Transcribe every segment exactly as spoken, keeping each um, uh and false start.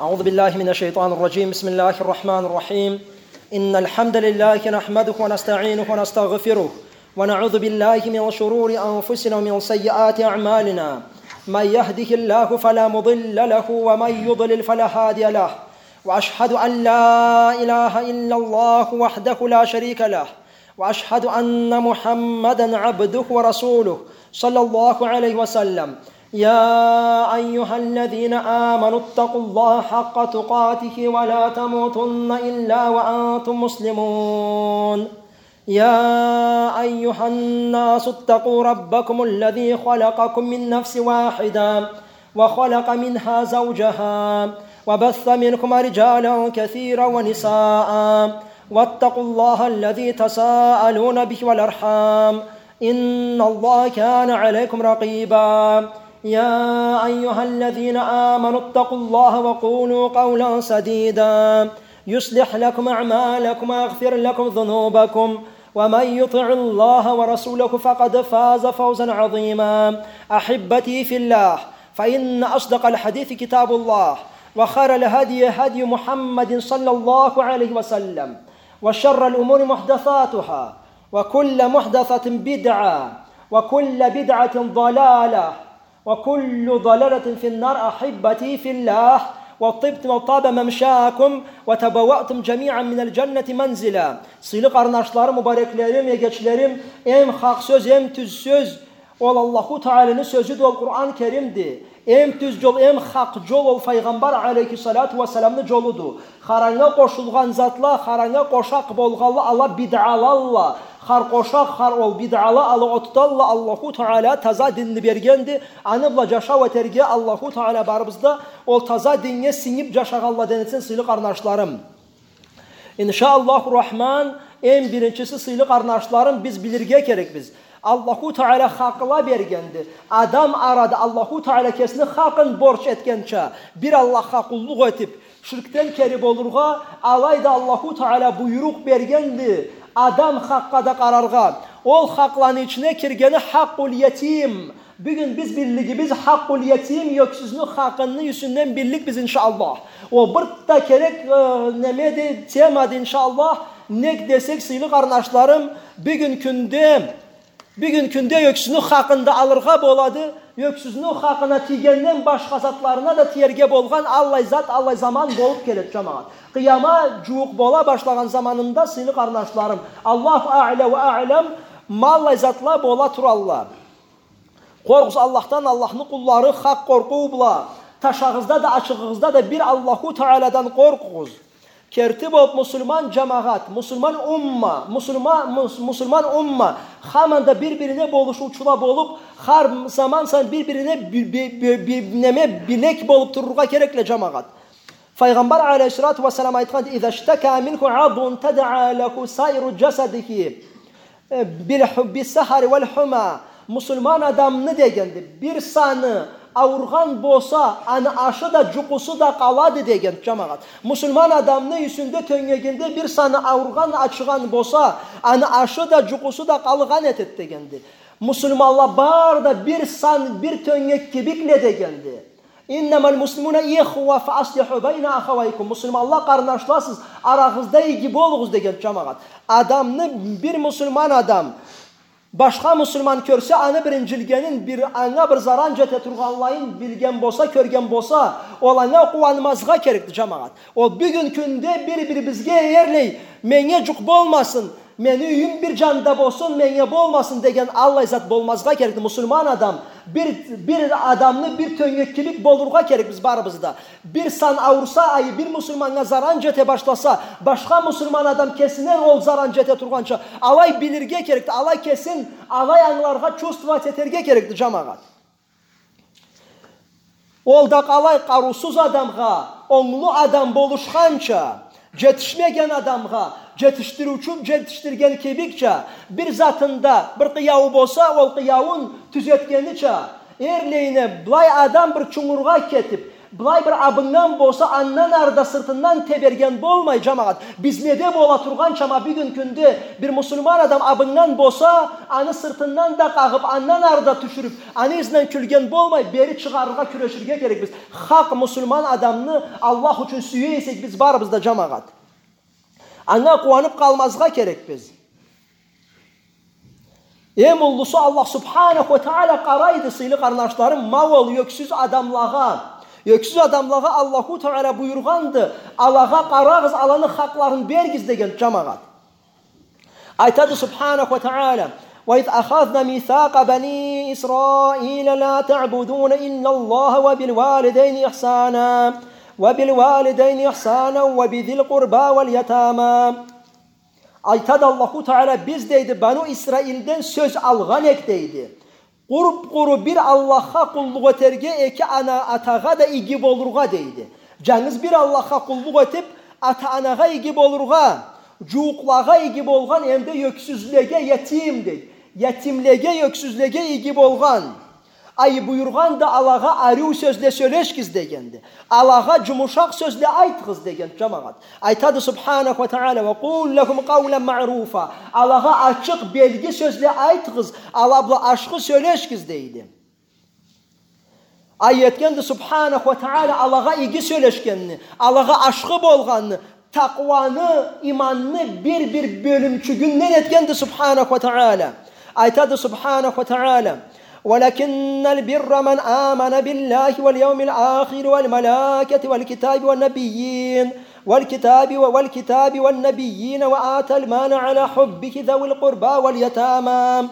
أعوذ بالله من الشيطان الرجيم. بسم الله الرحمن الرحيم. إن الحمد لله نحمده ونستعينه ونستغفره، ونعوذ بالله من شرور أنفسنا ومن سيئات أعمالنا. من يهده الله فلا مضل له، ومن يضلل فلا هادي له. وأشهد أن لا إله إلا الله وحده لا شريك له، وأشهد أن محمدا عبده ورسوله، صلى الله عليه وسلم. يا أيها الذين آمنوا اتقوا الله حق تقاته ولا تموتن إلا وأنتم مسلمون. يا أيها الناس اتقوا ربكم الذي خلقكم من نفس واحدة وخلق منها زوجها وبث منهما رجالا كثيرا ونساء، واتقوا الله الذي تساءلون به والأرحام، إن الله كان عليكم رقيبا. يا أيها الذين آمنوا اتقوا الله وقولوا قولا سديدا، يصلح لكم أعمالكم ويغفر لكم ذنوبكم، ومن يطع الله ورسوله فقد فاز فوزا عظيما. أحبتي في الله، فإن أصدق الحديث كتاب الله، وخير الهدي هدي محمد صلى الله عليه وسلم، وشر الأمور محدثاتها، وكل محدثة بدعة، وكل بدعة ضلالة، وكل ضلالة في النار. أحبتي في الله، وطبتم وطاب ممشاكم، وتبوأتم جميعا من الجنة منزلا. Сыйлы къарнашларым, мубареклерим, эгечлерим, эм хакъ сёз, эм тюз сёз, ол Аллаху Тааланы сёзюдю, ол Къуран Керимди. Эм тюз джол, эм хакъ джол ол Файгъамбар алейхиссалату уассаламны джолуду. Хараннга къошулгъан затла, хараннга къошакъ болгъанла, ала бидъалалла. Хар къошакъ, хар ол бидъала, ала отдалла. Аллаху Таала таза динни бергенди. Аны бла джашау этерге Аллаху Таала барыбызны да ол таза диннге сингиб джашагъанладан этсин, сыйлы къарнашларым. Иншааллаху Рахман, эм биринчиси, сыйлы къарнашларым, биз билирге керекбиз. Аллаху Таала хакъла бергенди. Адам арада Аллаху Таала кесини хакъын борч этгенча, бир Аллахха къуллукъ этиб, ширкден кери болургъа, алайда Аллаху Таала буйрукъ бергенди адам хакъгъа да къараргъа. Ол хакъланы ичине киргени хакъул ятим. Бюгюн биз биллигибиз хакъул ятим, ёксюзню хакъыны юсюнден билликбиз, иншааллах. Ол бир да керек, э, немеди, темады, иншааллах. Нек десек, сыйлы къарнашларым, бюгюн кюнде, бюгюн кюнде ёксюзню хакъын да алыргъа болады, ёксюзню хакъына тийгенден башха затларына да тиерге болгъан аллай зат, аллай заман болуб келеди, джамагъат. Къыяма джууукъ бола башлагъан заманында, сыйлы къарнашларым, Аллаху аъла ва аълам, ма аллай затла бола туралла. Къоркъугъуз Аллахдан, Аллахны къуллары, хакъ къоркъуу бла. Ташагъызда да, ачыгъыгъызда да бир Аллаху Тааладан къоркъугъуз. Керти болуб, муслиман джамагъат, муслиман умма, муслима-, мус-, муслиман умма, хаманда бир-бирине болушуучула болуб, хар заман сайын бир-бирине би-, би-, би-, би-, неме, билек болуб турургъа керекле, джамагъат. Файгъамбар алейхиссалату уассалам айтханды: «إذا اشتكى منه عضو تداعى له سائر جسده بالح-، بالسهر والحمى». Муслиман адамны дегенди, бир саны ауругъан болса, аны ашы да, джукъусу да къалады дегенди, джамагъат. Муслиман адамны юсюнде, тёнгегинде бир саны ауругъан, ачыгъан болса, аны ашы да, джукъусу да къалгъан этеди дегенди. Муслиманла бары да бир сан, бир тёнгек кибикле дегенди. «إنما المسلمون إخوة فأصلحوا بين أخويكم». Муслиманла къарнашласыз, арагъызда иги болугъуз деген, джамагъат. Адамны бир муслиман адам башха муслиман кёрсе, аны бирин джилгенин, бир, анга бир заран джете тургъанлайын билген болса, кёрген болса, ол анга къууанмазгъа керекди, джамагъат. Ол бюгюн кюнде бир-бирибизге эрлей, меннге джукъ болмасын, мени юйюм бир джанда болсун, меннге болмасын деген аллай зат болмазгъа керекди. Муслиман адам, бир, бир адамны бир тёнгеккилик болургъа керекбиз барыбыз да. Бир сан ауруса, ай, бир муслиманнга заран джете башласа, башха муслиман адам кесине ол заран джете тургъанча, алай билирге керекди, алай кесин, алай ангыларгъа, чувствовать этерге керекди, джамагъат. Ол да къалай, къарыусуз адамгъа онглу адам болушханча, джетишмеген адамгъа джетишдириучю джетишдирген кибикча, бир затында бир къыяуу болса, ол къыяууун тюзетгенича, Эрлейине, былай адам бир чунгургъа кетип, былай бир абыннган болса, андан ары да сыртындан теберген болмай, джамагъат. Бизнеде бола тургъанча, ма бюгюн кюнде бир муслиман адам абыннган болса, аны сыртындан да къагъып, андан ары да тюшюрюп, аны изинден кюлген болмай, бери чыгъарыргъа кюреширге керекбиз. Хакъ муслиман адамны Аллах ючюн сюе эсек, биз барыбыз да, джамагъат, анга къууанып къалмазгъа керекбиз. Эм уллусу, Аллах субханаху уа тагъала къарайды, сыйлы къарнашларым, ма ол ёксюз адамлагъа. Ёксюз адамлагъа Аллаху Тагъала буюргъанды, алагъа къарагъыз, аланы хакъларын беригиз деген, джамагъат. Айтады субханаху уа тагъала: وإذ أخذنا ميثاق بني إسرائيل لا تعبدون إلا الله وبالوالدين إحسانا وبالوالدين إحسانا وبذي القربى واليتامى. Айтады Аллаху Тагъала: биз, дейди, Бану Исраилден сёз алгъан эк, дейди, къуп-къуру бир Аллахха къуллукъ этерге, эки ана-атагъа да иги болургъа, дейди. Джангыз бир Аллахха къуллукъ этип, ата-анагъа иги болургъа, джууукълагъа иги болгъан, эм да ёксюзлеге, ятим, дейди. Ятимлеге, ёксюзлеге иги болгъан. Ай, буюргъанды алагъа ариу сёзле сёлешигиз дегенди. Алагъа джумушакъ сёзле айтыгъыз деген, джамагъат. Айтады субханаху уа тагъала: وقولوا لهم قولا معروفا. Алагъа ачыкъ, белги сёзле айтыгъыз, ала бла ашхы сёлешигиз, дейди. Ай, этгенди субханаху уа тагъала алагъа иги сёлешгенни, алагъа ашхы болгъанны, такъуаны, иманны бир-бир бёлюмчюгюнден этгенди субханаху уа тагъала. Айтады субханаху уа тагъала: ولكن البر من آمن بالله واليوم الآخر والملائكة والكتاب والنبيين والكتاب و-، والكتاب والنبيين وآتى المال على حبه ذوي القربى واليتامى.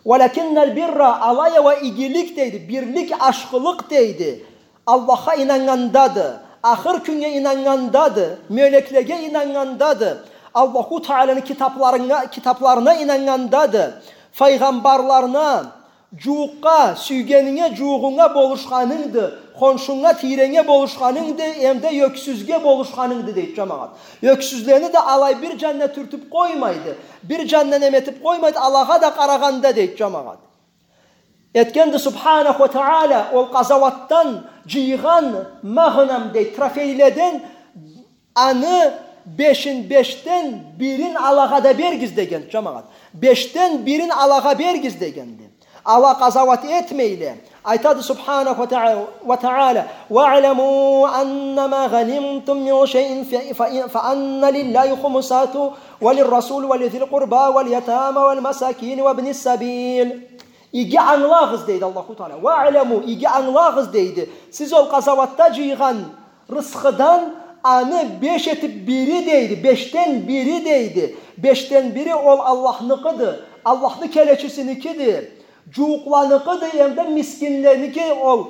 ولكن البر, алай а уа игилик, дейди, бирлик, ашхылыкъ, дейди, Аллахха ийнаннгандады, ахыр кюннге ийнаннгандады, мёлеклеге ийнаннгандады, Аллаху Тагъаланы китапларына, китапларына ийнаннгандады, файгъамбарларына, джууукъгъа, сюйгенинге, джуууугъунга болушханынгды, хоншунга, тийренге болушханынгды, эм да ёксюзге болушханынгды, дейди, джамагъат. Ёксюзлени да алай бир джанына тюртюп къоймайды, бир джанына неме этип къоймайды, алагъа да къарагъанда, дейди, джамагъат. Этгенди субханаху уа тагъала ол къазауатдан джыйгъан магънам, дейди, трофейледен аны бешин, бешден бирин алагъа да беригиз деген, джамагъат. Бешден бирин алагъа беригиз дегенди. Ала къазауат этмейле. Айтады субханаху уа тагъа-, уа тагъала: واعلموا أنما غنمتم من شيء ف-، ف-، فأن لله خمسه وللرسول ولذي القربى واليتامى والمساكين وابن السبيل. Иги ангылагъыз, дейди Аллаху Тагъала. واعلموا, иги ангылагъыз, дейди. Сиз ол къазауатда джыйгъан рысхыдан аны беш этип бири, дейди, бешден бири, дейди. Бешден бири ол Аллахныкъыды, Аллахны келечисиникиди, джууукъланыкъыды, эм да мискинленики ол,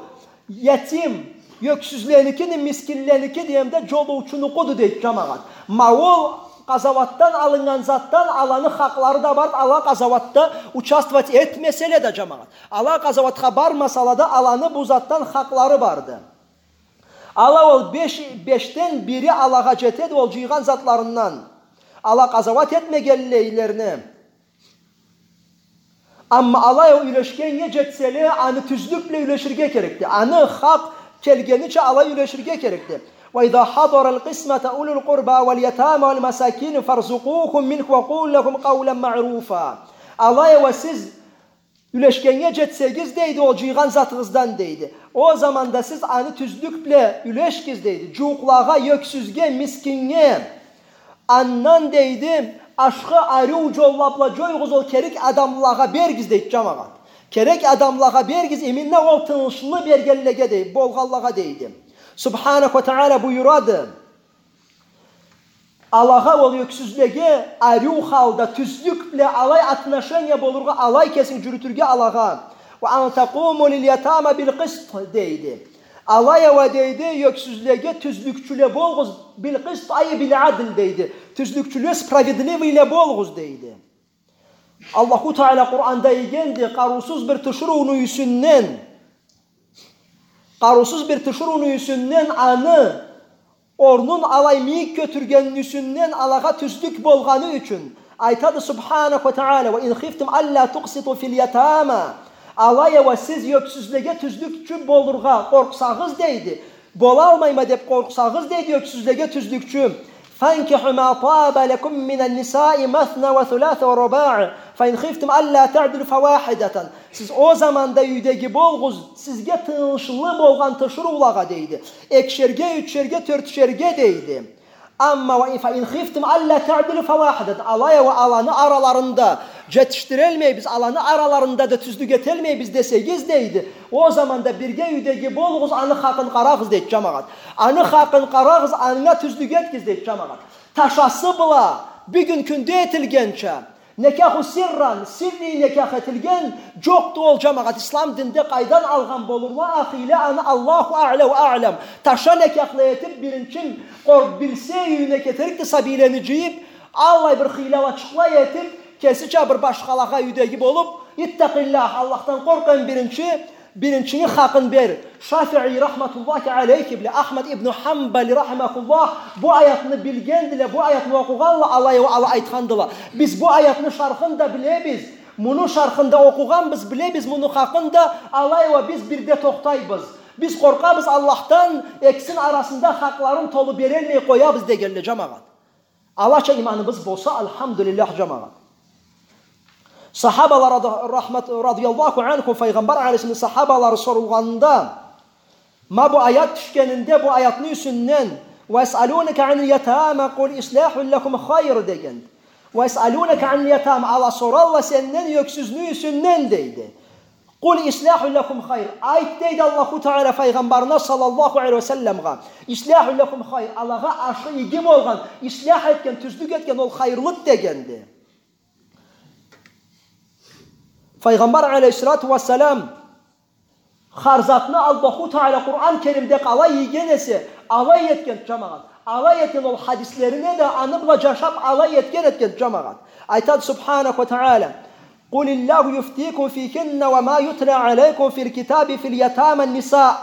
ятим, ёксюзленикиди, мискинленикиди, эм да джолоучунукъуду, дейди, джамагъат. Ма ол къазауатдан алыннган затдан аланы хакълары да барды, ала къазауатда участвовать этмеселе да, джамагъат. Ала къазауатха бармасала да, аланы бу затдан хакълары барды. Ала ол беш, бешден бири алагъа джетеди ол джыйгъан затларындан, ала къазауат этмегенлейлерине. Амма алай ол юлешгеннге джетселе, аны тюзлюк бла юлеширге керекди. Аны хакъ келгенича алай юлеширге керекди. وإذا حضر القسمة أولو القربى واليتامى والمساكين فارزقوهم منه وقولوا لهم قولا معروفا. Алай а уа сиз юлешгеннге джетсегиз, дейди, ол джыйгъан затыгъыздан, дейди, ол заманда сиз аны тюзлюк бла юлешигиз, дейди, джууукълагъа, ёксюзге, мискиннге. Андан, дейди, ашхы, ариу джолла бла джоюгъуз, ол керек адамлагъа беригиз, дейди, джамагъат. Керек адамлагъа беригиз, именно ол тыйыншлы бергенлеге, дейди, болгъанлагъа, дейди. Субханаху уа тагъала буюрады. Алагъа, ол ёксюзлеге ариу халда, тюзлюк бла алай отношение болургъа, алай кесинг джюрютюрге алагъа. وأن تقوموا لليتامى بالقسط, дейди. Алай а уа, дейди, ёксюзлеге тюзлюкчюле болугъуз, بالقسط أي بالعدل, дейди. Тюзлюкчюле, справедливыйле болугъуз, дейди. Аллаху Тагъала Къуранда ийгенди, къарыусуз бир тиширыуну юсюнден, къарыусуз бир тиширыуну юсюнден аны орнун алай мийик кётюргенини юсюнден алагъа тюзлюк болгъаны ючюн. Айтады Субханаху уа Тагъала: وإن خفتم ألا تقسطوا في اليتامى. Алай а уа сиз ёксюзлеге тюзлюкчю болургъа къоркъсагъыз, дейди. Болалмайма деп къоркъсагъыз, дейди, ёксюзлеге тюзлюкчю. فانكحوا ما طاب لكم من النساء مثنى وثلاث ورباع، فإن خفتم ألا تعدلوا فواحدة. Сиз ол заманда юйдеги болугъуз, сизге тыйыншлы болгъан тиширыулагъа, дейди. Экишерге, ючюшерге, тёртюшерге, дейди. Амма وإن، فإن خفتم ألا تعدلوا فواحدة. Алай а уа аланы араларында джетишдирелмейбиз, аланы араларында да тюзлюк этелмейбиз десегиз, дейди. Ол заманда бирге юйдеги болугъуз, аны хакъын къарагъыз, дейди, джамагъат. Аны хакъын къарагъыз, анга тюзлюк этигиз, дейди, джамагъат. Ташасы бла, бюгюн кюнде этилгенча, никаху сирран, сирри никах этилген джокъду ол, джамагъат. Ислам динде къайдан алгъан болурла а хыйлы аны, Аллаху а'ля уа а'лям. Таша никахла этиб, биринчи къоркъ билсе, юйюне кетерикди сабийлени джыйыб, аллай бир хыйлалачыкъла этиб, кесича бир башхалагъа юйдеги болуб, اتق الله, Аллахдан къоркъ, эм биринчи, биринчини хакъын бер. Шафии рахматуллахи алейхи бла Ахмад ибн Хамбали рахимахуллах бу аятны билгендиле, бу аятны окъугъанла, алай а уа ала айтхандыла: «Биз бу аятны шархын да билебиз, муну шархын да окъугъанбыз, билебиз муну хакъын да, алай а уа биз бирде тохтайбыз. Биз къоркъабыз Аллахдан, экисини арасында хакъларын толу берелмей къоябыз», — дегенле, джамагъат. Алача иманыбыз болса, алхамдулиллях, джамагъат. Сахабала рада-, рахмат-, радияллаху анхум, Файгъамбар алейхиссалам сахабалары сорулгъанында, ма бу аят тюшгенинде, бу аятны юсюнден, «ويسألونك عن اليتامى قل إصلاح لهم خير» деген. «ويسألونك عن اليتامى», ала соралла сенден ёксюзню юсюнден, дейди. «قل إصلاح لهم خير». Айт, дейди Аллаху Таала Файгъамбарына саллаллаху алейхи ва салламгъа: «إصلاح لهم خير». Алагъа ашы иги болгъан, ислях этген, тюзлюк этген ол хайырлыды дегенди. Файгъамбар алейхиссалату вассалам хар затны Аллаху Таала Къуран Керимде къалай ийген эсе, алай этген, джамагъат. Алай этген ол хадислерине да, аны бла джашаб, алай этген этген, джамагъат. Айтады Субханаху ва Таала: «قل الله يفتيكم فيهن وما يتلى عليكم في الكتاب في يتامى النساء».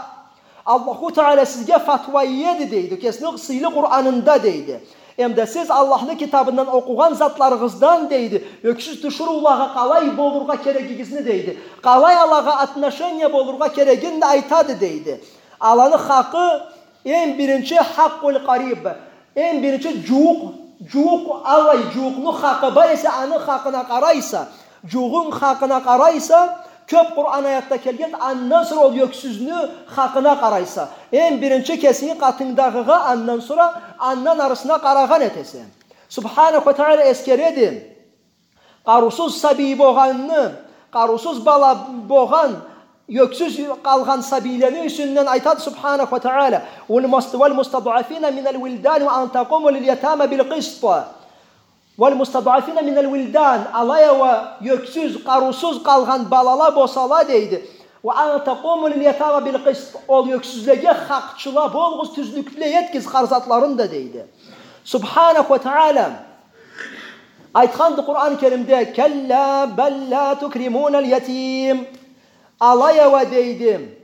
Аллаху Таала сизге фатва иеди, дейди, кесини сыйлы Къуранында, дейди. Эмда сиз Аллахны китабындан окъугъан затларыгъыздан, дейди, ёксюз тиширыулагъа къалай болургъа керегигизни, дейди, къалай алагъа отношение болургъа керегин да айтады, дейди. Аланы хакъы, эм биринчи, حق القريب, эм биринчи джууукъ, джууукъ, аллай джууукъну хакъы бар эсе, аны хакъына къарайса, джууукъну хакъына къарайса, кёб Къуран аятда келген, андан сора ол ёксюзню хакъына къарайса. Эм биринчи кесинги къатынгдагъыгъа, андан сора андан арысына къарагъан этесе. Субханаху ва Таала эсгереди къарыусуз сабий богъанны, къарыусуз бала богъан, ёксюз къалгъан сабийлени юсюнден айтады Субханаху ва Таала: «والمست-، والمستضعفين من الولدان وأن تقوموا لليتامى بالقسط». «والمستضعفين من الولدان», алай а уа ёксюз, къарыусуз къалгъан балала болсала, дейди. «وأن تقوموا لليتامى بالقسط», ол ёксюзлеге хакъчыла болугъуз, тюзлюкле этигиз хар затларын да, дейди. Субханаху ва Таала айтханды Къуран Керимде: «كلا بل لا تكرمون اليتيم». Алай а уа, дейди,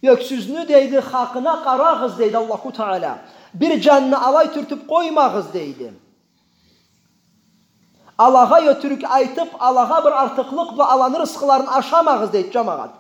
ёксюзню, дейди, хакъына къарагъыз, дейди Аллаху Таала. Бир джанына алай тюртюб къоймагъыз, дейди. Алагъа ётюрюк айтыб, алагъа бир артыкълыкъ бла аланы рысхыларын ашамагъыз, дейди, джамагъат.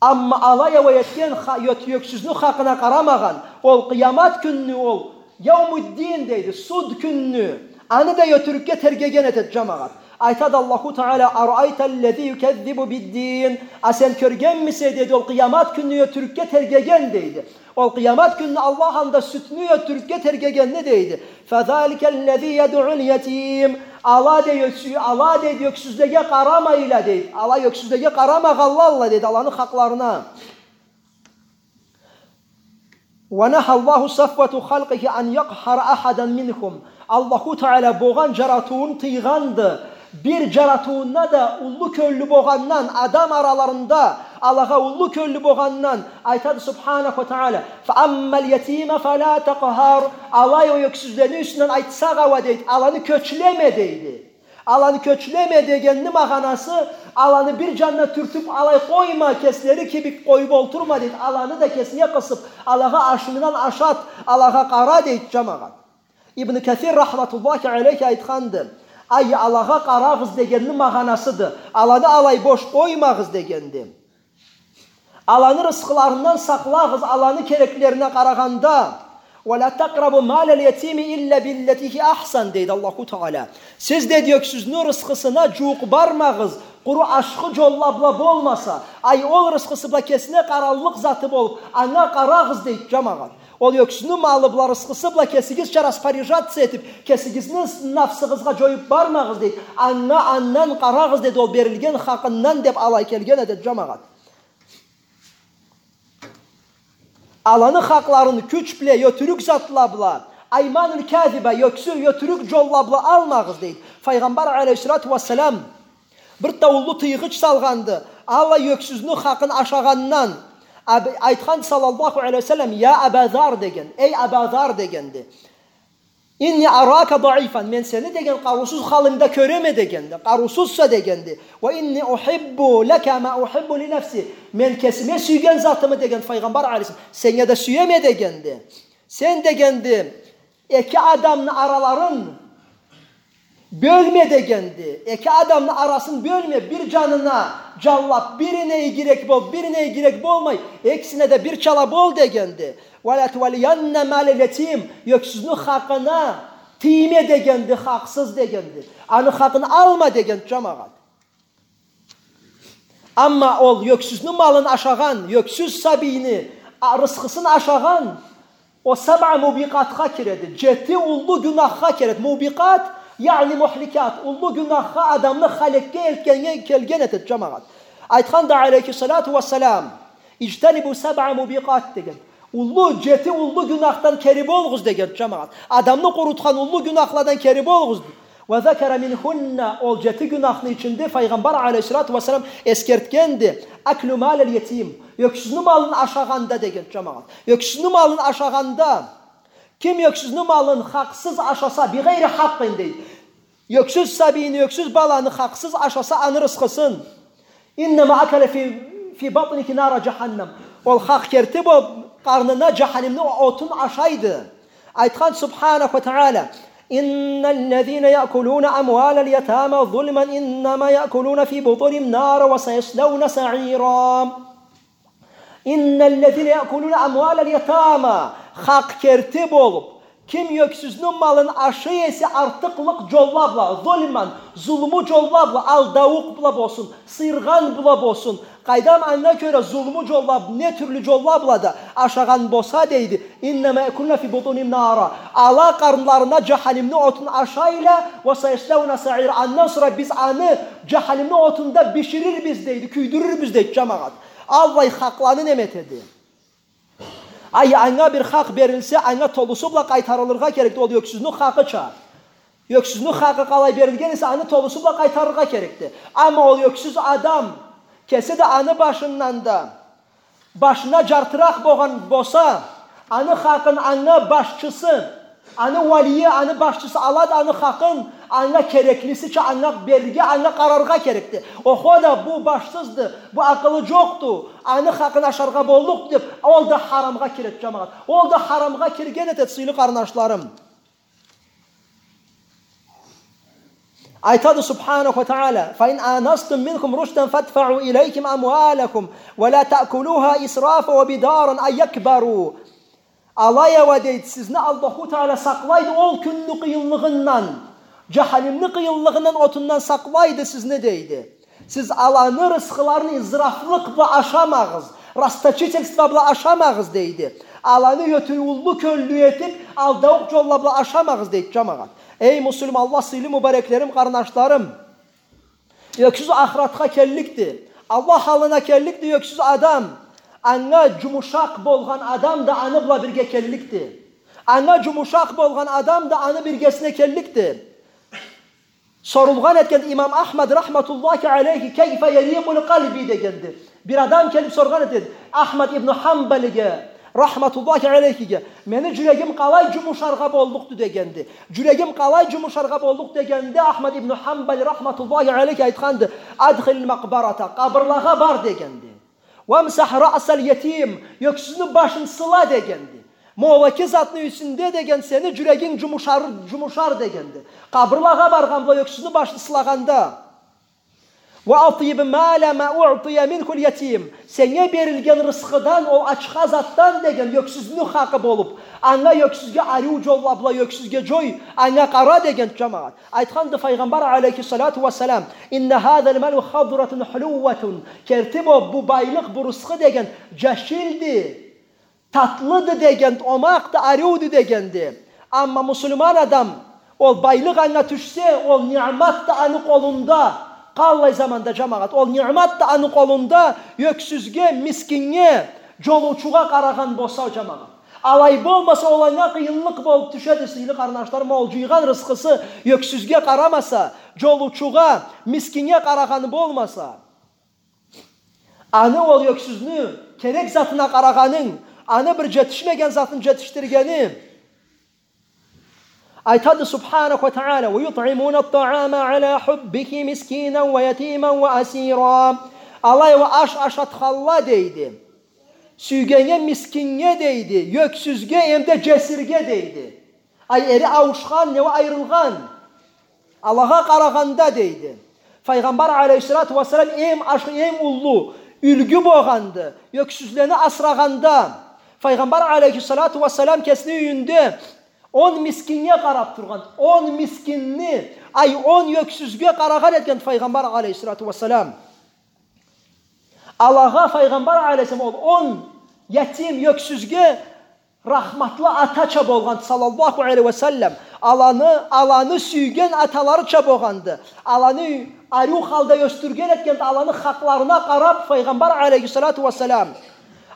Амма алай а уа этген ха-, ёт-, ёксюзню хакъына къарамагъан, ол къыямат кюнню, ол Яумуддин, дейди, суд кюнню, аны да ётюрюкге тергеген этеди, джамагъат. Айтады Аллаху Таала: «أرأيت الذي يكذب بالدين». А сен кёргенмисе, дейди, ол къыямат кюнню ётюрюкге тергеген, дейди. Ол къыямат кюнню Аллах аллында сюдню ётюрюкге тергегенни, дейди. «فذلك الذي يدع اليتيم». Ала, дейди, ёксю-, ала, дейди, ёксюзлеге къарамайла, дейди. Ала ёксюзлеге къарамагъанла, дейди, аланы хакъларына. «ونهى الله صفوة خلقه أن يقهر أحدا منهم». Аллаху Таала богъан джаратыуун тыйгъанды. Бир джаратыуунда да уллу кёллю богъандан, адам араларында алагъа уллу кёллю богъандан, айтады Субханаху ва Таала: «فأما اليتيم فلا تقهر». Алай а уа ёксюзлени юсюнден айтсакъ а уа, дейди, аланы кёчлеме, дейди. Аланы кёчлеме дегенни магъанасы, аланы бир джанына тюртюб алай къойма, кеслери кибик къоюб олтурма, дейди. Аланы да кесинге къысыб, алагъа ашынгдан ашат, алагъа къара, дейди, джамагъат. Ибн Касир рахматуллахи алейхи айтханды: Ай, алагъа къарагъыз дегенни магъанасыды. Аланы алай бош къоймагъыз дегенди. Аланы рысхыларындан сакълагъыз, аланы кереклерине къарагъанда. «Ва ла такърабу малал ятими илла биллати хия ахсан», дейди Аллаху Таала. Сиз, дейди, ёксюзню рысхысына джууукъ бармагъыз, къуру ашхы джолла бла болмаса. Ай, ол рысхысы бла кесине къараллыкъ заты болуб, анга къарагъыз, дейди, джамагъат. Ол ёксюзню малы бла, рысхысы бла кесигизча распоряжаться этиб, кесигизни нафсыгъызгъа джоюб бармагъыз, дейди. Анга андан къарагъыз, дейди, ол берилген хакъындан, деб алай келген эди, джамагъат. Аланы хакъларын кюч бла, ётюрюк затла бла, айманул казиба, ёксю-, ётюрюк джолла бла алмагъыз, дейди. Файгъамбар алейхиссалату уассалам бир да уллу тыйгъыч салгъанды аллай ёксюзню хакъын ашагъандан. Аб-, айтханды саллаллаху алейхи ва саллам: «Я Аба Зар», деген, «Эй Аба Зар», дегенди. «Инни арака даифан, мен сени, деген, къарыусуз халынгда кёреме», дегенди. «Къарыусузса», дегенди. «Ва инни ухиббу лака ма ухиббу ли нафси, мен кесиме сюйген затымы, деген, Файгъамбар алейхиссалам, сеннге да сюеме», дегенди. «Сен, дегенди, эки адамны араларын бёлме», дегенди. «Эки адамны арасын бёлме, бир джанына джанлаб, бирине игирек бол, бирине игирек болмай, экисине да бирчала бол», дегенди. «Ва ла туваллиянна малал ятим, ёксюзню хакъына тийме», дегенди, хакъсыз, дегенди. Аны хакъын алма, дегенди, джамагъат. Амма ол ёксюзню малын ашагъан, ёксюз сабийни, а, рысхысын ашагъан, о сабъа мубикъатха киреди. Джети уллу гюнахха киреди. Мубикъат, яъни мухликат, уллу гюнахха, адамны халекге элтгеннге келген этеди, джамагъат. Айтханды алейхиссалату уассалам: «Иджтанибу сабъа мубикъат», деген. Уллу, джети уллу гюнахдан кери болугъуз, деген, джамагъат. Адамны къурутхан уллу гюнахладан кери болугъуз. «Ва закара минхунна», ол джети гюнахны ичинде Файгъамбар алейхиссалату уассалам эсгертгенди: «Аклу малал ятим», ёксюзню малын ашагъанда, деген, джамагъат. Ёксюзню малын ашагъанда, ким ёксюзню малын хакъсыз ашаса, «бигъайри хакъкъин», дейди. Ёксюз сабийни, ёксюз баланы хакъсыз ашаса, аны рысхысын. «Иннама акала фи, фи батнихи нара джаханнам». Ол хакъ керти бу къарнына джаханимни отун ашайды. Айтхан Субханаху ва Таала: «Инналлазина якулуна амвалал ятама зулман иннама якулуна фи бутунихим нара ва саяслауна саира». «Инналлазина якулуна амвалал ятама». Хакъ керти болуб, ким ёксюзню малын ашай эсе артыкълыкъ джолла бла, зулман, зулму джолла бла, алдаукъ бла болсун, сыйыргъан бла болсун, къайдам, анга кёре зулму джолла, не тюрлю джолла бла да ашагъан болса, дейди, «иннама якулуна фи бутунихим нара». Ала къарнларына джаханимни отун ашайла, «ва саяслауна саира». Андан сора биз аны джаханимни отунда биширирбиз, дейди, кюйдюрюрбюз, дейди, джамагъат. Аллай хакъланы неме этеди. Ай, анга бир хакъ берилсе, анга толусу бла къайтарылыргъа керекди ол ёксюзню хакъыча. Ёксюзню хакъы къалай берилген эсе, аны толусу бла къайтарыргъа керекди. Амма ол ёксюз адам, кеси да аны башындан да, башына джартыракъ болгъан болса, аны хакъын анга башчысы, аны валийи, аны башчысы алады аны хакъын, анга кереклисича анга берирге, анга къараргъа керекди. Охо да, бу башсызды, бу акъылы джокъду, аны хакъын ашаргъа боллукъду деб, ол да харамгъа киреди, джамагъат. Ол да харамгъа кирген этеди, сыйлы къарнашларым. Айтады Субханаху ва Таала: «Фа ин анастум минхум рушдан фадфау илейхим амвалахум, ва ла таъкулуха исрафан ва бидаран ан якбару». Алай а уа, дейди, сизни Аллаху Таала сакълайды ол кюнню къыйынлыгъындан, джаханимни къыйынлыгъындан, отундан сакълайды сизни, дейди. Сиз аланы рысхыларын израфлыкъ бла ашамагъыз, расточительство бла ашамагъыз, дейди. Аланы ётюр-, уллу кёллю этиб, алдаукъ джолла бла ашамагъыз, дейди, джамагъат. Эй муслиманла, сыйлы мубареклерим, къарнашларым! Ёксюз ахыратха келликди. Аллах аллына келликди ёксюз адам. Анга джумушакъ болгъан адам да аны бла бирге келликди. Анга джумушакъ болгъан адам да аны биргесине келликди. Сорулгъан этгенди имам Ахмад рахматуллахи алейхи: «Кайфа ярикъу къалби?» дегенди. Бир адам келиб соргъан этгенди Ахмад ибн Ханбалиге, рахматуллахи алейхиге: «Мени джюрегим къалай джумушаргъа боллукъду?» дегенди. «Джюрегим къалай джумушаргъа боллукъду?» дегенде, Ахмад ибн Ханбали рахматуллахи алейхи айтханды: «Адхилил макъбарата, къабырлагъа бар», дегенди. «Вамсах раъсал ятим, ёксюзню башын сыла», дегенди. Ма ол эки затны юсюнде деген сени джюрегинг джумушар, джумушар дегенди. Къабырлагъа баргъан бла ёксюзню башын сылагъанда. وأطيب مال ما أعطي منه اليتيم. Сеннге берилген рысхыдан, ол ачха затдан деген, ёксюзню хакъы болуб, анга, ёксюзге ариу джолла бла, ёксюзге джой, анга къара деген, джамагъат. Айтханды Файгъамбар алейхиссалату уассалам: إن هذا المال خضرة حلوة. Керти бу, бу байлыкъ, бу рысхы деген джашилди, татлыды дегенди, омакъды, ариуду дегенди. Амма муслиман адам, ол байлыкъ анга тюшсе, ол ниъмат да аны къолунда. Къаллай заманда, джамагъат, ол ниъмат да аны къолунда, ёксюзге, мискиннге, джолучугъа къарагъан болса, джамагъат. Алай болмаса, ол анга къыйынлыкъ болуб тюшеди, сыйлы къарнашларым, ол джыйгъан рысхысы ёксюзге къарамаса, джолучугъа, мискиннге къарагъаны болмаса. Аны, ол ёксюзню керек затына къарагъанынг, аны бир джетишмеген затын джетишдиргени. Айтады Субханаху уа Тагъала: ويطعمون الطعام على حبه مسكينا ويتيما وأسيرا. Алай уа аш ашатхалла дейди. Сюйгеннге, мискиннге дейди, ёксюзге, эмда джесирге дейди. Ай, эри ауушхан, не уа айырылгъан. Алагъа къарагъанда дейди. Файгъамбар алейхиссалату уассалам эм аш-, эм уллу юлгю болгъанды ёксюзлени асырагъанда. Файгъамбар алейхиссалату уассалам кесини юйюнде он мискиннге къараб тургъан, он мискинни, ай, он ёксюзге къарагъан этген Файгъамбар алейхиссалату уассалам. Алагъа Файгъамбар алейхиссалам ол он ятим ёксюзге рахматлы атача болгъан, саллаллаху алейхи уа саллам. Аланы, аланы сюйген аталарыча болгъанды. Аланы ариу халда ёсдюрген этгенди, аланы хакъларына къараб Файгъамбар алейхиссалату уассалам.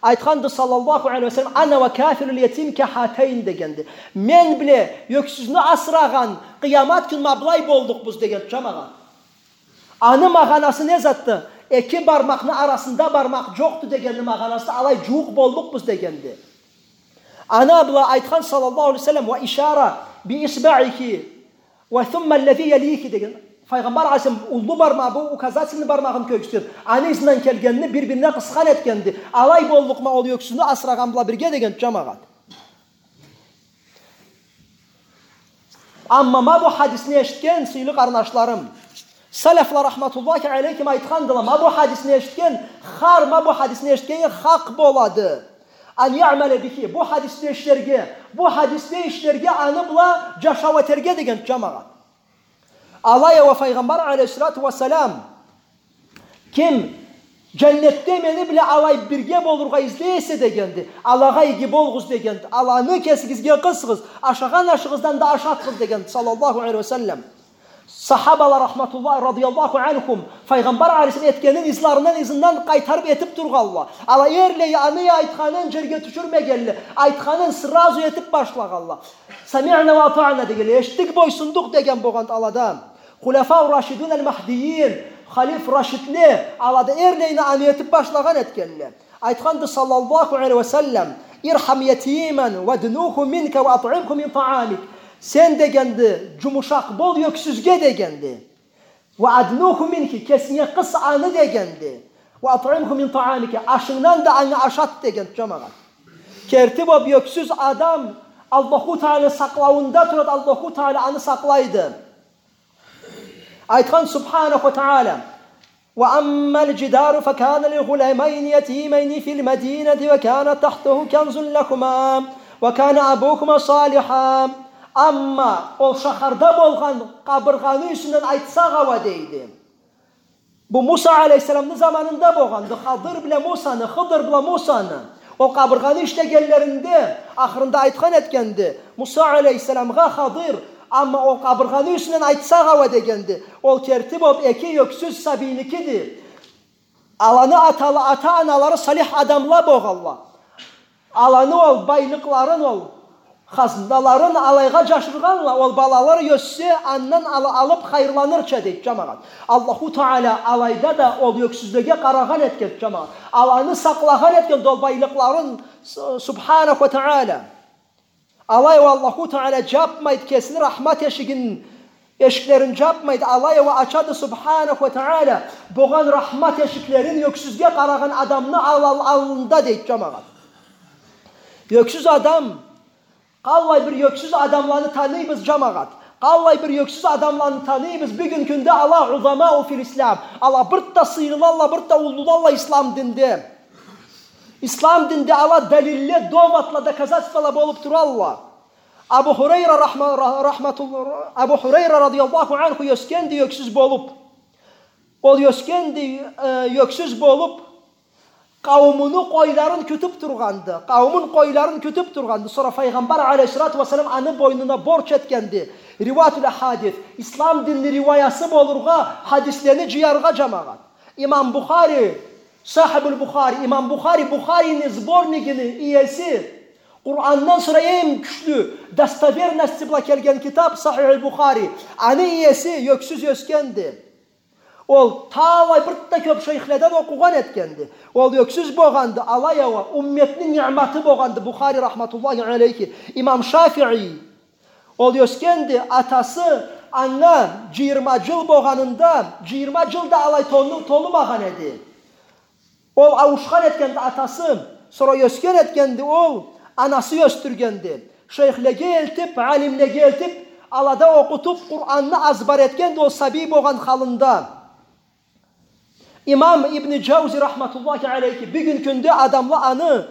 Айтханды саллаллаху алейхи уа саллам: أنا وكافل اليتيم كهاتين дегенди. Мен бла ёксюзню асырагъан къыямат кюн ма былай боллукъбуз деген, джамагъат. Аны магъанасы не затды? Эки бармакъны арасында бармакъ джокъду дегенни магъанасы, алай джууукъ боллукъбуз дегенди. Аны бла айтхан саллаллаху алейхи уа саллам: وأشار بإصبعه وثم الذي يليه деген. Файгъамбар алейхиссалам уллу бармагъы, бу указательный бармагъын кёргюзтюб, аны ызындан келгенни бир-бирине къысхан этгенди. Алай боллукъма ол ёксюзню асырагъан бла бирге деген, джамагъат. Амма ма бу хадисни эшитген, сыйлы къарнашларым, салафла рахматуллахи алейхим айтхандыла, ма бу хадисни эшитген, хар ма бу хадисни эшитгеннге хакъ болады. أن يعمل به, бу хадисни ишлерге, бу хадисни ишлерге, аны бла джашау этерге деген, джамагъат. Алай уа Файгъамбар алейхиссалату уассалам: ким джаннетде мени бла алай бирге болургъа излей эсе дегенди, алагъа иги болугъуз дегенди, аланы кесигизге къысыгъыз, ашагъан ашыгъыздан да ашатыгъыз дегенди, саллаллаху алейхи уа саллам. Сахабала рахматуллахи, радияллаху анхум, Файгъамбар алейхиссалам этгенин ызларындан, ызындан къайтарыб этиб тургъалла. Ала эрлей аны айтханын джерге тюшюрмегенле, айтханын сразу этиб башлагъалла. سمعنا وأطعنا дегенле, эшитдик, бойсундукъ деген болгъанды алада. خلفاء الراشدون المهديين, халиф рашидле, алада эрлейни аны этиб башлагъан этгенле. Айтханды саллаллаху алейхи уа саллам: ارحم يتيما وادنه منك وأطعمه من طعامك. Сен дегенди, джумушакъ бол ёксюзге дегенди. وادنه منك, кесинге къыс аны дегенди. وأطعمه من طعامك, ашынгдан да анга ашат деген, джамагъат. Керти бу ёксюз адам Аллаху Тааланы сакълауунда турады, Аллаху Таала аны сакълайды. Айтхан Субханаху Таала: وأما الجدار فكان لغلامين يتيمين في المدينة وكان تحته كنز لهما وكان أبوهما صالحا. Амма ол шахарда болгъан къабыргъаны юсюнден айтсакъ а уа дейди. Бу Муса алейхиссаламны заманында болгъанды. Хадыр бла Мусаны, Хыдыр бла Мусаны. Ол къабыргъаны ишлегенлеринде, ахырында айтхан этгенди Муса алейхиссаламгъа Хадыр, амма ол къабыргъаны юсюнден айтсакъ а уа дегенди. Ол керти болуб эки ёксюз сабийникиди. Аланы атала-, ата-аналары салих адамла болгъалла. Аланы ол байлыкъларын, ол хазналарын алайгъа джашыргъанла, ол балалары ёссе, андан ала-, алыб хайырланырча, дейди, джамагъат. Аллаху Таала алайда да ол ёксюзлеге къарагъан этген, джамагъат. Аланы сакълагъан этген ол байлыкъларын, С-, Субханаху Таала. Алай уа Аллаху Таала джабмайды кесини рахмат эшигин, эшиклерин джабмайды, алай уа ачады Субханаху Таала болгъан рахмат эшиклерин ёксюзге къарагъан адамны ал-, ал-, аллында, дейди, джамагъат. Ёксюз адам Къаллай бир ёксюз адамланы таныйбыз, джамагъат. Къаллай бир ёксюз адамланы таныйбыз. Бюгюн кюнде ала узамау фил ислам. Ала бир да сыйлылалла, бир да уллулалла ислам динде. Ислам динде ала далилле, доводла, доказательствола болуб туралла. Абу Хурайра рахма-, ра-, рахматулла-, Абу Хурайра радияллаху анху ёсгенди ёксюз болуб. Ол ёсгенди, э, ёксюз болуб, къауумуну къойларын кютюб тургъанды. Къауумун къойларын кютюб тургъанды. Сора Файгъамбар алейхиссалату уассалам аны бойнуна борч этгенди. Риваятуль ахадис. Ислам динни риваясы болургъа, хадислени джыяргъа, джамагъат. Имам Бухари, Сахибуль Бухари, Имам Бухари, Бухарини сборнигини иеси, Къурандан сора эм кючлю достоверности бла келген китаб Сахихуль Бухари. Аны иеси ёксюз ёсгенди. Ол талай бир да кёб шейхледен окъугъан этгенди. Ол ёксюз богъанды, алай а уа умметни ниъматы богъанды Бухари рахматуллахи алейхи. Имам Шафии. Ол ёсгенди, атасы анга джыйырма джыл богъанында, джыйырма джыл да алай толу-, толумагъан эди. Ол ауушхан этгенди атасы, сора ёсген этгенди ол, анасы ёсдюргенди. Шейхлеге элтиб, алимлеге элтиб, алада окъутуб, Къуранны азбар этгенди ол сабий богъан халында. Имам Ибн Джаузи рахматуллахи алейхи, бюгюн кюнде адамла аны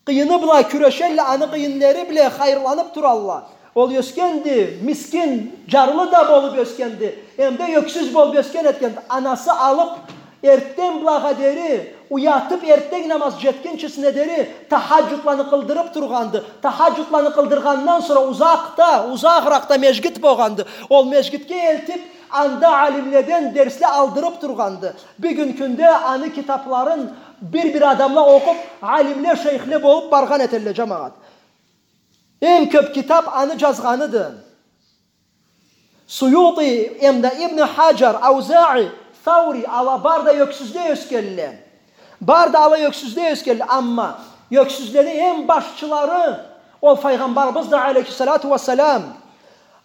къыйыны бла кюрешелле, аны къыйынлары бла хайырланыб туралла. Ол ёсгенди, мискин, джарлы да болуб ёсгенди. Эм да ёксюз болуб ёсген этгенди. Анасы алыб, эртден былагъа дери, уятыб, эртден намаз джетгинчисине дери, тахаджудланы къылдырыб тургъанды. Тахаджудланы къылдыргъандан сора узакъда, узагъыракъда межгит богъанды. Ол межгитге элтиб, анда алимледен дерсле алдырыб тургъанды. Бюгюн кюнде аны китабларын бир-бир адамла окъуб, алимле, шейхле болуб баргъан этелле, джамагъат. Эм кёб китаб аны джазгъаныды. Суюти, эм да Ибн Хаджар, Аузаи, Саури, ала бары да ёксюзде ёсгелле. Бары да ала ёксюзде ёсгелле. Амма ёксюзлени эм башчылары, ол Файгъамбарыбыз да, алейхиссалату уассалам,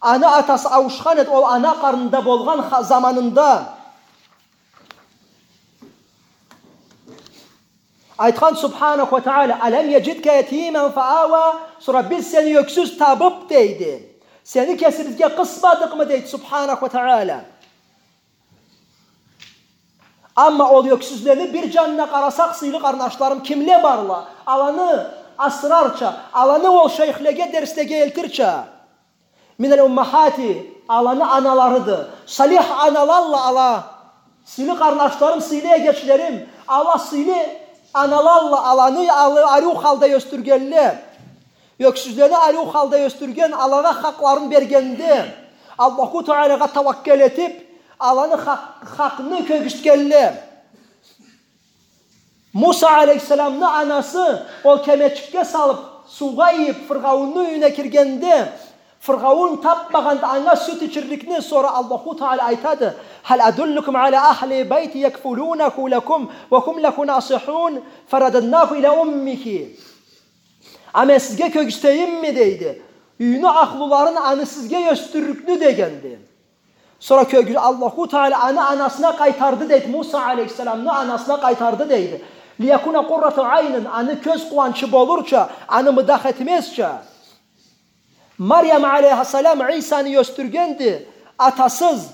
аны атасы ауушхан эди, ол ана къарнында болгъан ха-, заманында. Айтхан Субханаху уа Тагъала: «Алам яджидка ятиман фа ава», сора биз сени ёксюз табыб, дейди. Сени кесибизге къысмадыкъмы, дейди Субханаху уа Тагъала. Амма ол ёксюзлени бир джанына къарасакъ, сыйлы къарнашларым, кимле барла, аланы асырарча, аланы ол шейхлеге, дерслеге элтирча. Миналь уммахати, аланы аналарыды. Салих аналалла ала. Сыйлы къарнашларым, сыйлы эгечлерим, ала сыйлы аналалла, аланы алы-, ариу халда ёсдюргелле. Ёксюзлени ариу халда ёсдюрген, алагъа хакъларын бергенде, Аллаху Тагъалагъа тауаккел этиб, аланы хакъ-, хакъны кёргюзтгелле. Муса алейхиссаламны анасы ол кемечикге салыб, суугъа ийиб, Фиргъауунну юйюне киргенде, Фиргъауун табмагъанды анга сют ичирликни, сора Аллаху Тагъала айтады: «Хал адуллукум аля ахли бейти якфулунаху лакум ва хум лаху насихун, фарададнаху иля уммихи». А мен сизге кёргюзтейимми, дейди. Юйню ахлуларын, аны сизге ёсдюрлюкню, дегенди. Сора кёргюз-, Аллаху Тагъала аны анасына къайтарды, дейди. Муса алейхиссаламны анасына къайтарды, дейди. «Лиякуна къуррату айнин», аны кёз къууанчы болурча, аны мыдах этмезча. Марьям алейхиссалам Исаны ёсдюргенди, атасыз.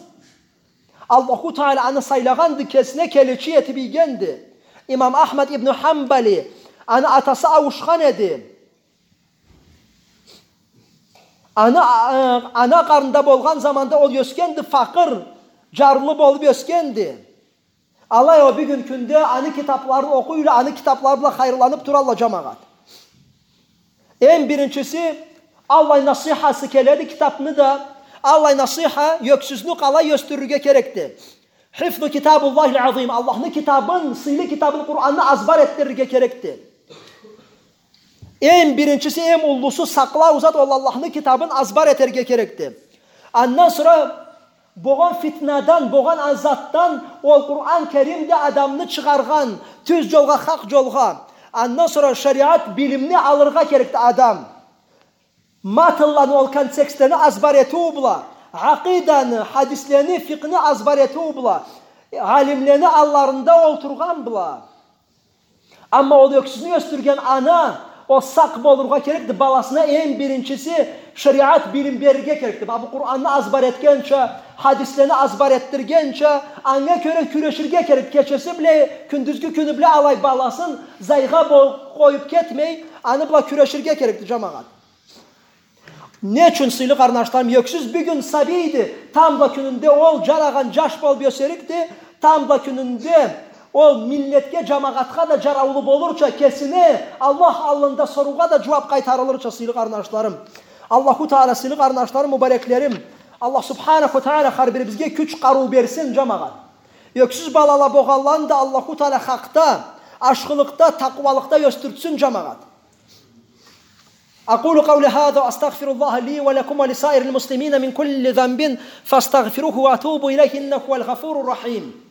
Аллаху Тагъала аны сайлагъанды, кесине келечи этиб ийгенди. Имам Ахмад ибн Ханбали, аны атасы ауушхан эди. Аны, а, ана къарнында болгъан заманда ол ёсгенди, факъыр, джарлы болуб ёсгенди. Алай а бюгюн кюнде аны китабларын окъуйла, аны китаблары бла хайырланыб туралла, джамагъат. Эм биринчиси, аллай насихасы келеди китабны да, аллай насиха, ёксюзню къалай ёсдюрюрге керекди. Хифзу китабуллахиль азим. Аллахны китабын, сыйлы китабын, Къуранны азбар этдирирге керекди. Эм биринчиси, эм уллусу сакълау зат, ол Аллахны китабын азбар этерге керекди. Андан сора богъан фитнадан, богъан а затдан ол Къуран Керимди адамны чыгъаргъан, тюз джолгъа, хакъ джолгъа. Андан сора шариат билимни алыргъа керекди адам. Матнланы, ол контекстлени азбар этиу бла, акъиданы, хадислени, фикъны азбар этиу бла, алимлени алларында олтургъан бла. Амма ол ёксюзню ёсдюрген ана, Ол сакъ болургъа керекди, баласына эм биринчиси шериат билим берирге керекди. Бу Къуранны азбар этгенча, хадислени азбар этдиргенча, анга кёре кюреширге керек. Кечеси бла, кюндюзгю кюню бла алай баласын зайгъа бо-, къоюп кетмей, аны бла кюреширге керекди, джамагъат. Не ючюн, сыйлы къарнашларым, ёксюз бюгюн сабийди, тамбла кюнюнде ол джарагъан джаш болуп ёсерикди, тамбла кюнюнде ол миллетге, джамагъатха да джараулу болурча, кесини Аллах аллында соруугъа да джууап къайтарылырча, сыйлы къарнашларым. Аллаху Таала, сыйлы къарнашларым, мубареклерим, Аллах Субханаху Таала хар бирибизге кюч, къарыу берсин, джамагъат. Ёксюз балала болгъанланы да Аллаху Таала хакъда, ашхылыкъда, такъуалыкъда ёсдюртсюн, джамагъат. أقول قولي هذا وأستغفر الله لي ولكم ولسائر المسلمين من كل ذنب فاستغفروه وأتوبوا إليه إنه هو الغفور الرحيم.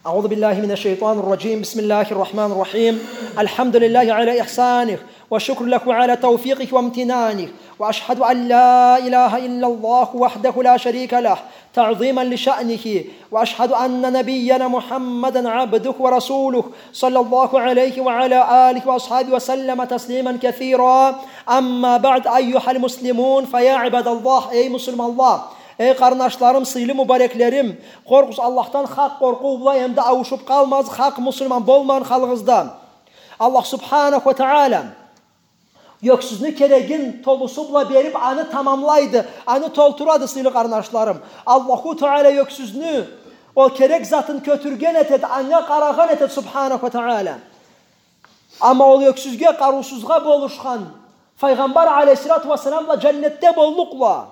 أعوذ بالله من الشيطان الرجيم. بسم الله الرحمن الرحيم. الحمد لله على إحسانه، والشكر له على توفيقه وامتنانه، وأشهد أن لا إله إلا الله وحده لا شريك له تعظيما لشأنه، وأشهد أن نبينا محمدا عبده ورسوله، صلى الله عليه وعلى آله وأصحابه وسلم تسليما كثيرا. أما بعد، أيها المسلمون، فيا عباد الله, эй муслиманла, эй къарнашларым, сыйлы мубареклерим, къоркъугъуз Аллахдан хакъ къоркъуу бла, эмда ауушуп къалмагъыз хакъ муслиман болмагъан халыгъызда. Аллах Субханаху Таала ёксюзню керегин толусу бла берип, аны тамамлайды, аны толтурады, сыйлы къарнашларым. Аллаху Таала ёксюзню ол керек затын кётюрген этеди, анга къарагъан этеди, Субханаху Таала. Амма ол ёксюзге, къарыусузгъа болушхан Файгъамбар алейхиссалату уассалам бла джаннетде боллукъла.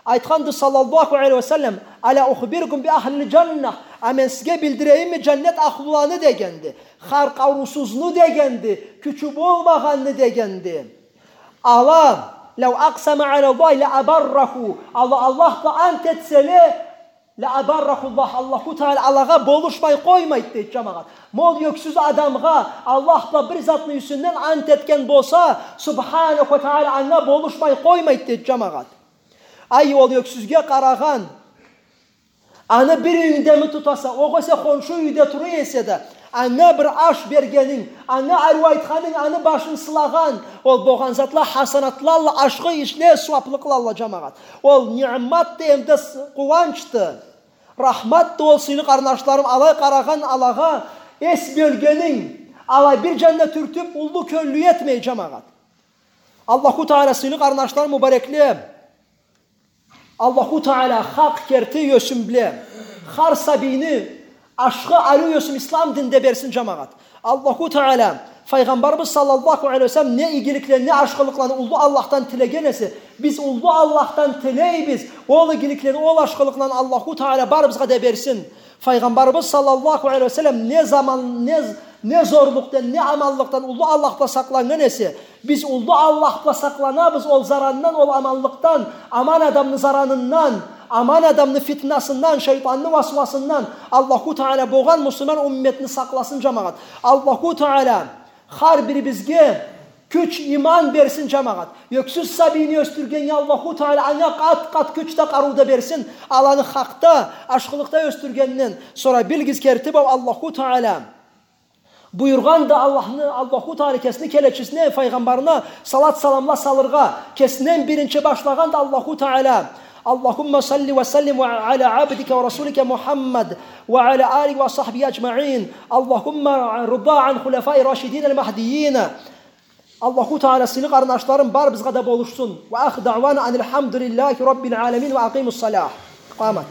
Айтханды, саллаллаху алейхи ва саллам: «ألا أخبركم بأهل الجنة؟ А мен сизге билдирейимми джаннет ахлуланы?» — дегенди. Хар къарыусузну дегенди, кючю болмагъанны дегенди. Ала, «لو أقسم على الله لأبره». Ала Аллах бла ант этселе, «لأبره الله», Аллаху Таала алагъа болушмай къоймайды, дейди, джамагъат. Ма ол ёксюз адамгъа Аллах бла бир затны юсюнден ант этген болса, Субханаху Таала анга болушмай къоймайды, дейди, джамагъат. Ай, ол ёксюзге къарагъан, аны бир юйюнгдеми тутаса, огъесе хоншу юйде тура эсе да, анга бир аш бергенинг, анга ариу айтханынг, аны башын сылагъан, ол болгъан затла хасанатлалла, ашхы ишле, сууаплыкълалла, джамагъат. Ол ниъматды, эмда с-, къууанчды, рахматды ол, сыйлы къарнашларым, алай къарагъан алагъа эс бёлгенинг, алай бир джанына тюртюп, уллу кёллю этмей, джамагъат. Аллаху Таала, сыйлы къарнашларым, мубарекле, Аллаху Таала хакъ керти ёсюн бла хар сабийни ашхы, ариу ёсюн ислам динде берсин, джамагъат. Аллаху Таала, Файгъамбарыбыз саллаллаху алейхи ва саллам не игиликлени, не ашхылыкъланы уллу Аллахдан тилеген эсе, биз уллу Аллахдан тилейбиз ол игиликлени, ол ашхылыкъланы Аллаху Таала барыбызгъа да берсин. Файгъамбарыбыз саллаллаху алейхи ва саллам не заман, не, не зорлукъдан, не аманлыкъдан уллу Аллах бла сакъланнган эсе, биз уллу Аллах бла сакъланабыз ол зарандан, ол аманлыкъдан, аман адамны заранындан, аман адамны фитнасындан, шайтанны васвасындан. Аллаху Таала болгъан муслиман умметни сакъласын, джамагъат. Аллаху Таала хар бирибизге кюч, иман берсин, джамагъат. Ёксюз сабийни ёсдюргеннге Аллаху Таала анга къат-къат кюч да, къарыу да берсин. Аланы хакъда, ашхылыкъда ёсдюргенден сора билигиз керти бла, Аллаху Таала буюргъанды Аллахны, Аллаху Таала кесини келечисине, файгъамбарына салат-саламла салыргъа, кесинден биринчи башлагъанды Аллаху Таала. اللهم صل وسلم على عبدك ورسولك محمد وعلى آله وصحبه أجمعين. اللهم ارض عن الخلفاء الراشدين المهديين. Аллаху Таала, сыйлы къарнашларым, барыбызгъа да болушсун. وآخر دعوانا أن الحمد لله رب العالمين وأقيموا الصلاة. قامت.